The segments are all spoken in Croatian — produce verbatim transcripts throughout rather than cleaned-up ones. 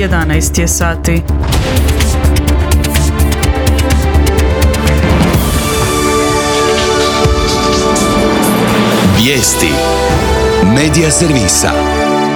jedanaest je sati. Vijesti Medija servisa.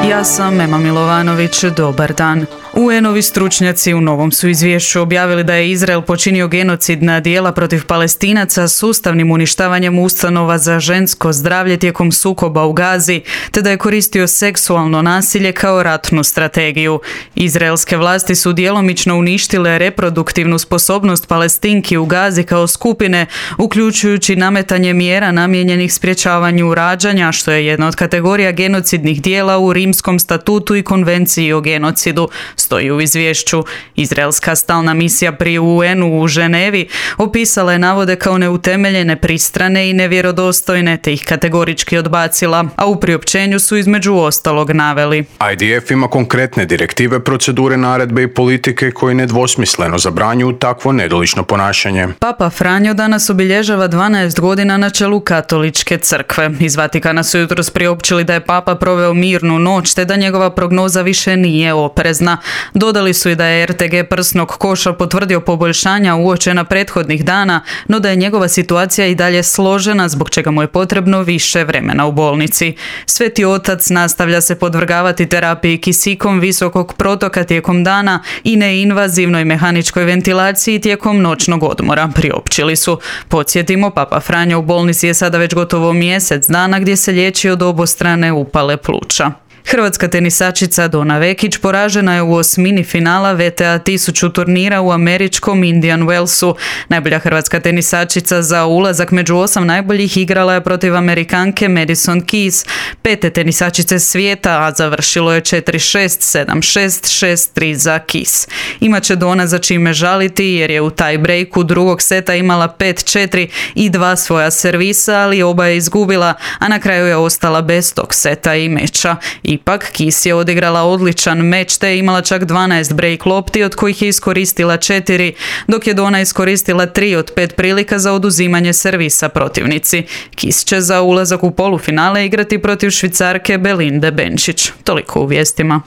Ja sam Ema Milovanović, dobar dan. U en-ovi stručnjaci u novom su izvješću objavili da je Izrael počinio genocidna djela protiv Palestinaca sustavnim uništavanjem ustanova za žensko zdravlje tijekom sukoba u Gazi, te da je koristio seksualno nasilje kao ratnu strategiju. Izraelske vlasti su djelomično uništile reproduktivnu sposobnost Palestinki u Gazi kao skupine, uključujući nametanje mjera namijenjenih sprječavanju rađanja, što je jedna od kategorija genocidnih djela u Rimskom statutu i konvenciji o genocidu, stoji u izvješću. Izraelska stalna misija pri u en-u u Ženevi opisala je navode kao neutemeljene, pristrane i nevjerodostojne, te ih kategorički odbacila, a u priopćenju su između ostalog naveli: I D F ima konkretne direktive, procedure, naredbe i politike koji nedvosmisleno zabranjuju takvo nedolično ponašanje. Papa Franjo danas obilježava dvanaest godina na čelu katoličke crkve. Iz Vatikana su jutros priopćili da je papa proveo mirnu noć, te da njegova prognoza više nije oprezna. Dodali su i da je er te ge prsnog koša potvrdio poboljšanja uočena prethodnih dana, no da je njegova situacija i dalje složena, zbog čega mu je potrebno više vremena u bolnici. Sveti otac nastavlja se podvrgavati terapiji kisikom visokog protoka tijekom dana i neinvazivnoj mehaničkoj ventilaciji tijekom noćnog odmora, priopćili su. Podsjetimo, papa Franjo u bolnici je sada već gotovo mjesec dana gdje se liječi od obostrane upale pluća. Hrvatska tenisačica Dona Vekić poražena je u osmini finala ve te a tisuću turnira u američkom Indian Wellsu. Najbolja hrvatska tenisačica za ulazak među osam najboljih igrala je protiv Amerikanke Madison Keys, pete tenisačice svijeta, a završilo je četiri šest, sedam šest, šest tri za Keys. Imaće Dona za čime žaliti jer je u taj breaku drugog seta imala pet četiri i dva svoja servisa, ali oba je izgubila, a na kraju je ostala bez tog seta i meča. Ipak, Keys je odigrala odličan meč te je imala čak dvanaest break lopti, od kojih je iskoristila četiri, dok je Dona iskoristila tri od pet prilika za oduzimanje servisa protivnici. Keys će za ulazak u polufinale igrati protiv Švicarke Belinde Benčić. Toliko u vijestima.